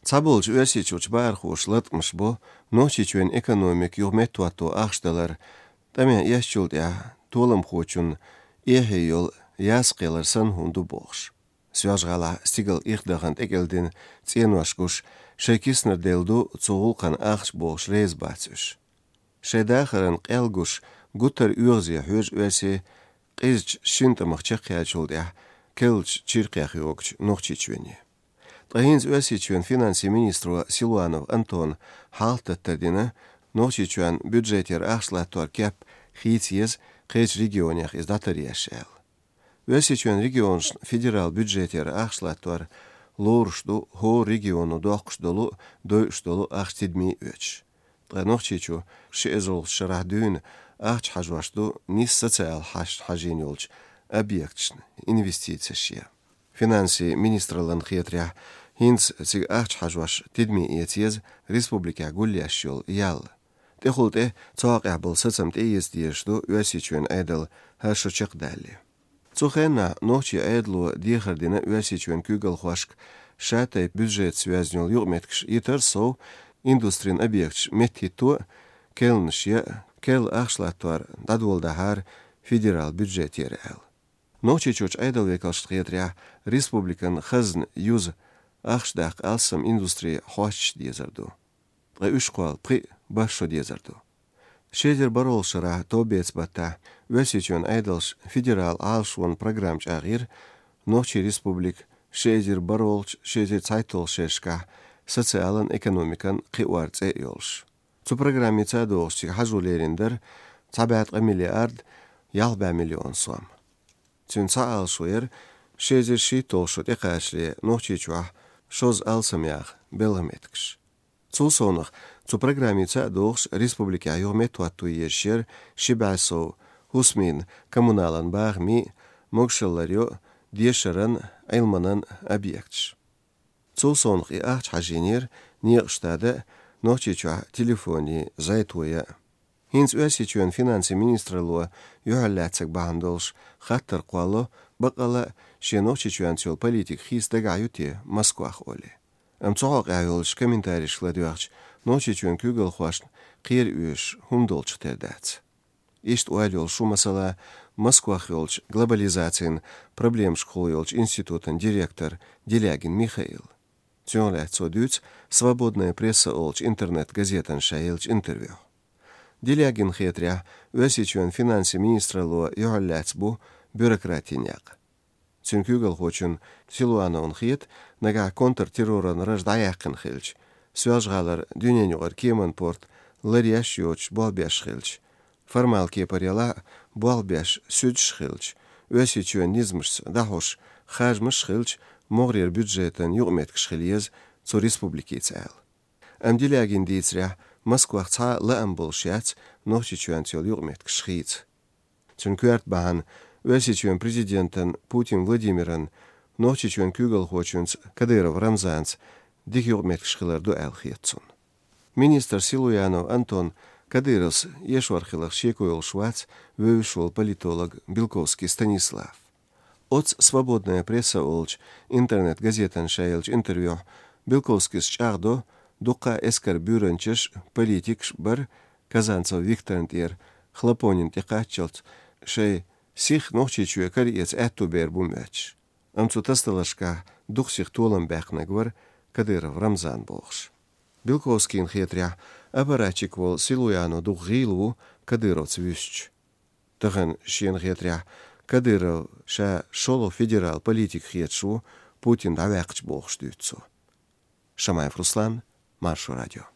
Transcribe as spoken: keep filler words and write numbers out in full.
Цхьаболчу Оьрсийчуьрчу бахархоша латкъамаш бо Нохчийчоьнан экономика юха меттахӀотто ахча далар, тӀамехь эшначул тӀаьхьа толамхочун эхье йолу яс кхелар санна хӀума ду бохуш. Соьлжа-ГӀалахь стигала ирх дахана тӀекӀелдина цӀенош гуш, шайн киснара делла ду цу гӀуллакхна ахча бохуш реза бац уьш. Шайн дахаран къел гуш, гуттар а оьгӀазе хьоьжу оьрсий къизачу шина тӀамах чекхъяьллачул тӀаьхьа керлачу чиркхех йогучу Нохчийчоьне. Ткъа хӀинца Оьрсийчоьнан финансийн министро Силуанов Антона хьалхататтар дина, Нохчийчоьнан бюджетера ахча латтор кеп хийца еза, кхечу регионех иза дӀатаръеш аьлла. Оьрсийчоьнан регионашна федерал бюджетера ахча латтор лоруш ду хӀора регионо доккхуш долу а, дойуш долу а ахча тидаме оьцуш. Ткъа Нохчийчу ши эзарлагӀчу шарахь дуьйна ахча хьажош ду нийса социалан хьашташна хьажийна йолчу объекташна инвестицеш ян. Финансийн министраллина хетарехь, хӀинца цига ахча хьажош тидаме эца еза республикехь гулъеш йолу ял. ТӀехула тӀе цу хьокъехь болу сацам тӀеэца дезаш ду Оьрсийчоьнан Ӏедал хӀара шо чекхдалале. Цу хенахь нохчийн Ӏедало дехар дина Оьрсийчоьнан куьйгалхошка ша-тайпа бюджетаца йоьзна йолу юкъаметтигаш йитар сов, индустрин объекташ меттахӀитто а, керланаш ян а, керла ахча латтор дӀадоладахьара федерал бюджетера аьлла. Нохчийчуьрчу Ӏедалан векалшна хетарехь, республикан хазна юза ахча даккха алсам индустрин хьосташ дезар ду. Ткъа уьш кхолла пхиъ-бархӀ шо дезар ду. Ши эзар бархӀолгӀачу шарахь товбеца баттахь Оьрсийчоьнан Ӏедалша федерал Ӏалашонан программа чӀагӀйира Нохчийн Республика ши эзар бархӀолгӀачу, ши эзар цхьайтталгӀачу шерашкахь социалан, экономикан кхиор цӀе а йолуш. Цу программица а догӀуш цига хьажо лерина дара цхьа бӀе ткъа миллиард ялх бӀе миллион сом. Цуьнан цхьа Ӏалашо яра ши эзар шийтталгӀа шо тӀекхачале Нохчийчохь шозза алсам яха белхан меттигаш. Цул совнаха, цу программица а догӀуш, республикехь юха меттахӀотто езаш яра ши бӀе сов хӀусамийн, коммуналан бахамийн, могушалла ларъяран, дешаран, Ӏилманан объекташ. Цул совнаха и ахча хьажийнера некъаш тада а, Нохчийчохь телефонийн зӀе тоя а. ХӀинца Оьрсийчоьнан финансийн министралло юьхьарлаьцнарг бахьана долуш хаттар кхоллало, баккъалла а шен Нохчийчоьнца йолу политика хийца дагахь ю те Москвах олий. Амма цу хьокъехь йолчу комментарийшка ладоьгӀча, Нохчийчоьнан куьйгалхошна кхера оьшуш хӀума долчух тера дац. Иштта ойла йолуш ву, масала, Москвах йолчу глобализацин проблемашкахула йолчу институтан директор Делягин Михаил. Цунах лаьцна цо дуьйцу «Свободная пресса» олучу интернет-газетана ша еллачу интервьюхь. Делягинна хетарехь, Оьрсийчоьнан финансийн министралло юьхьарлаьцна бу бюрократийн некъ. Цуьнан куьйгалхочунна Силуановна хета, нагахь контртерроран раж дӀаяьккхина хилча, Соьлжа-ГӀалара дуьненаюкъара кеман порт ларъеш йоцуш болх беш хилча, формал кепара ялахь а болх беш суьдаш хилча, Оьрсийчоьнан низамашца дӀахьош харжамаш хилча, могӀарера бюджетан юкъаметтигаш хила еза цу республикица аьлла. Амма Делягина дийцарехь, Москвах цхьа а лаам болуш яц Нохчийчоьнца йолу юкъаметтигаш хийца. Цуьнан коьрта бахьана Оьрсийчоьнан президентан Путин Владимиран Нохчийчоьнан куьйгалхочуьнца Кадыров Рамзанца дика юкъаметтигаш хилар ду аьлла хета цунна. Министр Силуанов Антон Кадыровс эшор хиларх шеко йолуш вац вевзаш волу политолог Белковский Станислав. Оцу «Свободная пресса» олучу интернет-газетана ша еллачу интервьюхь Белковскийс чӀагӀдо, дуккха а эскаран буьйранчаш, политикаш бара Казанцев Викторна тӀера Хлопонин тӀекхаччалц шайн сих Нохчийчоь караэца аьтту бер бу моьттуш. Амма цу тасадаларшкахь дукха сиха толам баьккхинарг вара Кадыров Рамзан бохуш. Белковскийна хетарехь, аппаратчик волу Силуанов дукха гӀийла ву Кадыровца вуьстича. Тахана шена хетарехь, Кадыров ша шолгӀа федерал политик хеташ ву Путин дӀаваьккхича бохуш дуьйцу цо. Шамаев Руслан, Маршо радио.